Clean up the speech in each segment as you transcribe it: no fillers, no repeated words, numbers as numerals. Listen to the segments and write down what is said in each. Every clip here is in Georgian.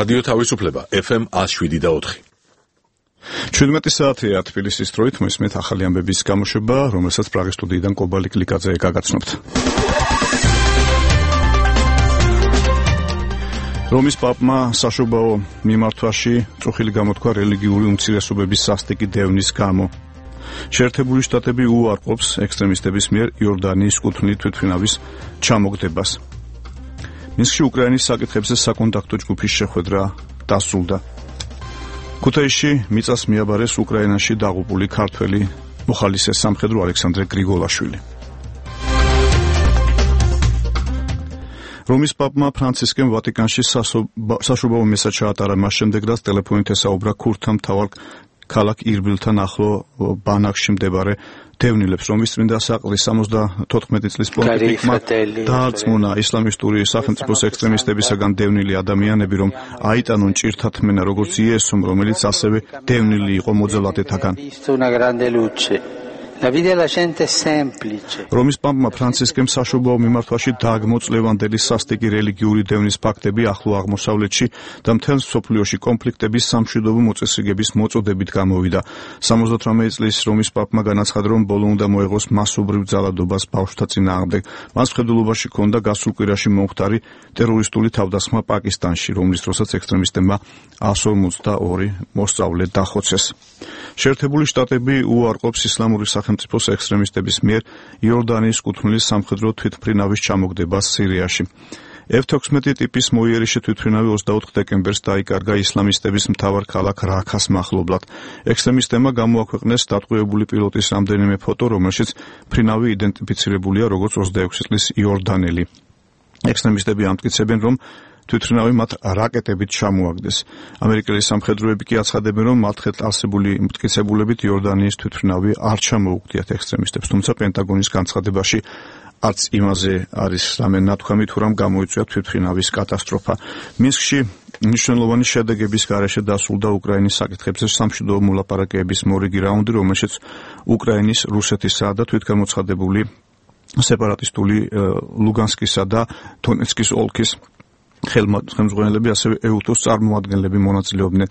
რადიო თავისუფლება FM 107.4. 17 საათია თბილისის დროით მოსმენთ ახალი ამბების გამოშვება, რომელსაც პრაღის სტუდიიდან კობალი კლიკაძე გაგაცნობთ. რომის პაპმა საშობაო მიმართვაში წუხილი გამოთქვა რელიგიური უმცირესობების სასტიკი დევნის გამო. შეერთებული შტატები უარყოფს ექსტრემისტების მიერ იორდანიის კუთვნილი თვითმფრინავის ჩამოგდებას. მინსკში უკრაინის საკითხებზე საკონტაქტო ჯგუფის შეხვედრა დასრულდა. ქუთაისში მიწას მიაბარეს უკრაინაში დაღუპული ქართველი მოხალისე სამხედრო ალექსანდრე გრიგოლაშვილი. რომის პაპმა ფრანცისკემ ვატიკანში საშობაო მესა ჩაატარა მას შემდეგ, რაც ტელეფონით ესაუბრა ქურთთა მთავარ ქალაქ ირბილთან ახლო ბანაკში მდებარე დევნილებს, რომის წმინდა საყდრის 74 წლის პონტიფიკმა დაარწმუნა ისლამისტური სახელმწიფოს ექსტრემისტებისაგან დევნილი ადამიანები, რომ აიტანონ ჭირთა თმენა როგორც იესომ, რომელიც ასევე დევნილი იყო მოძალადეთაგან. რომის პაპმა ფრანცისკემ საშობაო მიმართვაში დააგმოწლევანდელი სასტიკი რელიგიური დევნის ფაქტები ახლო აღმოსავლეთში და მთელ მსოფლიოში კონფლიქტების სამშვიდობო მოწესრიგების მოწოდებით გამოვიდა. 78 წლის რომის პაპმა განაცხადა, რომ ბოლო უნდა მოეღოს მასობრივ ძალადობას ბავშვთა წინააღმდეგ. მას მხედველობაში ჰქონდა გასულ კვირაში მომხდარი ტერორისტული თავდასხმა პაკისტანში, რომლის დროსაც ექსტრემისტებმა 152 მოსწავლე დახოცეს. შეერთებული შტატები უარყოფს ისლამური სახელმწიფოს ექსტრემისტების მიერ იორდანიის კუთვნილი სამხედრო თვითმფრინავის ჩამოგდებას სირიაში. F-16 ტიპის მოიერიში თვითმფრინავი 24 დეკემბერს დაიკარგა ისლამისტების მთავარ ქალაქ რაქას მახლობლად. ექსტრემისტებმა გამოაქვეყნეს დატყვევებული პილოტის რამდენიმე ფოტო, რომელშიც მფრინავი იდენტიფიცირებულია როგორც 26 წლის იორდანელი. ექსტრემისტები ამტკიცებენ, რომ თვითმფრინავი მათ რაკეტებით ჩამოაგდეს. ამერიკელი სამხედროები კი აცხადებენ, რომ მათ არსებული მტკიცებულებით იორდანიის თვითმფრინავი არ ჩამოუგდიათ ექსტრემისტებს, თუმცა პენტაგონის განცხადებაში არც იმაზე არის რამე ნათქვამი, თუ რამ გამოიწვია თვითმფრინავის კატასტროფა. მინსკში მნიშვნელოვანი შედეგების გარეშე დასრულდა უკრაინის საკითხებზე სამშვიდობო მოლაპარაკებების მორიგი რაუნდი, რომელშიც უკრაინის, რუსეთისა და თვითგამოცხადებული სეპარატისტული ლუგანსკისა და დონეცკის ოლქის ხელმძღვანელები, ასევე ეუთოს წარმომადგენლები მონაწილეობდნენ.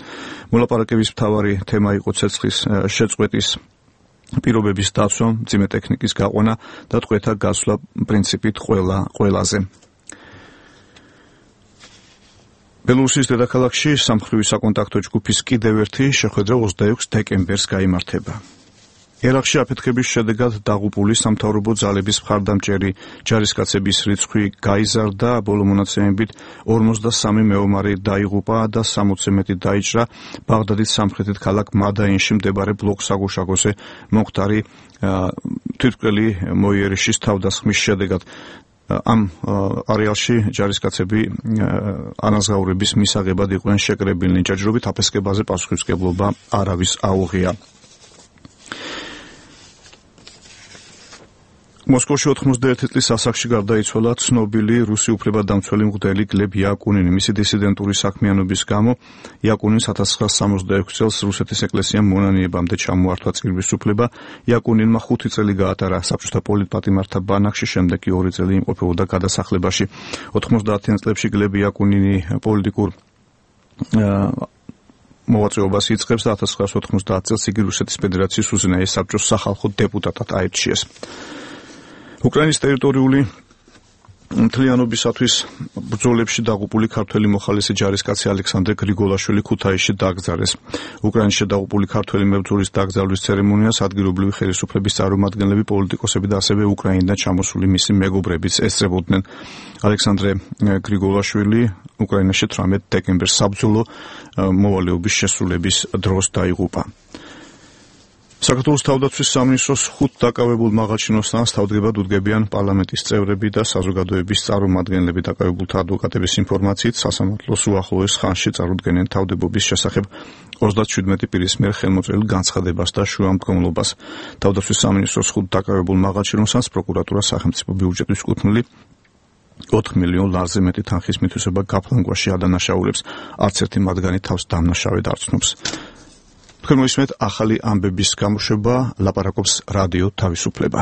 მოლაპარაკების მთავარი თემა იყო ცეცხლის შეწყვეტის პირობების დაცვა, მძიმე ტექნიკის გაყვანა და ტყვეთა გასვლა პრინციპით ყველაზე. ბელორუსის დედაქალაქში სამხედრო საკონტაქტო ჯგუფის კიდევ ერთი შეხვედრა 26 დეკემბერს გაიმართება. ერაყში აფეთქების შედეგად დაღუპული სამთავრობო ძალების მხარდამჭერი ჯარისკაცების რიცხვი გაიზარდა, ბოლო მონაცემებით 53 მეომარი დაიღუპა და 60-ზე მეტი დაიჭრა ბაღდადის სამხრეთით ქალაქ მადაინში მდებარე ბლოკ-საგუშაგოზე მომხდარი თვითმკვლელი მოიერიშის თავდასხმის შედეგად. ამ არეალში ჯარისკაცები ანაზღაურების მისაღებად იყვნენ შეკრებილნი. ჯაჭვობით აფეთქებაზე პასუხისმგებლობა არავის აუღია. მოსკოვში 91 წლის ასაკში გარდაიცვალა ცნობილი რუსი უფლებადამცველი მღვდელი გლებ იაკუნინი. მისი დისიდენტური საქმიანობის გამო იაკუნინს 1966 წელს რუსეთის ეკლესიამ მონანიებამდე ჩამოართვა წირვის უფლება. იაკუნინმა 5 წელი გაატარა საბჭოთა პოლიტპატიმართა ბანაკში, შემდეგ კი 2 წელი იმყოფებოდა გადასახლებაში. 90-იან წლებში გლებ იაკუნინი პოლიტიკურ მოვაწეობას იწყებს და 1990 წელს იგი რუსეთის ფედერაციის უზენაეს საბჭოს სახალხო დეპუტატად აირჩიეს. უკრაინის ტერიტორიული მთლიანობისათვის ბრძოლებში დაღუპული ქართველი მოხალისე ჯარისკაცი ალექსანდრე გრიგოლაშვილი ქუთაისში დაკრძალეს. უკრაინაში დაღუპული ქართველი მებრძოლის დაკრძალვის ცერემონიას ადგილობრივი ხელისუფლების წარმომადგენლები, პოლიტიკოსები და ასევე უკრაინიდან ჩამოსული მისი მეგობრებიც ესწრებოდნენ. ალექსანდრე გრიგოლაშვილი უკრაინაში 18 დეკემბერს საბრძოლო მოვალეობის შესრულების დროს დაიღუპა. საქართველოს თავდაცვის სამინისტროს 5 დაკავებულ მაღალჩინოსნას თავდგებად უდგებიან პარლამენტის წევრები და საზოგადოების წარმომადგენლები. დაკავებულთა ადვოკატების ინფორმაციით, სასამართლოს უახლოეს ხანში წარუდგენენ თავდებობის შესახებ 37 პირის მიერ ხელმოწერილ განცხადებას და შუამდგომლობას. თავდაცვის სამინისტროს 5 დაკავებულ მაღალჩინოსნას პროკურატურა სახელმწიფო ბიუჯეტის კუთვნილი 4 მილიონ ლარზე მეტი თანხის მითვისება გაფლანგვაში ადანაშაულებს. არც ერთი მათგანი თავს დამნაშავედ არ ცნობს. თქვენ მოისმენთ ახალი ამბების გამოშვება, ლაპარაკობს რადიო თავისუფლება.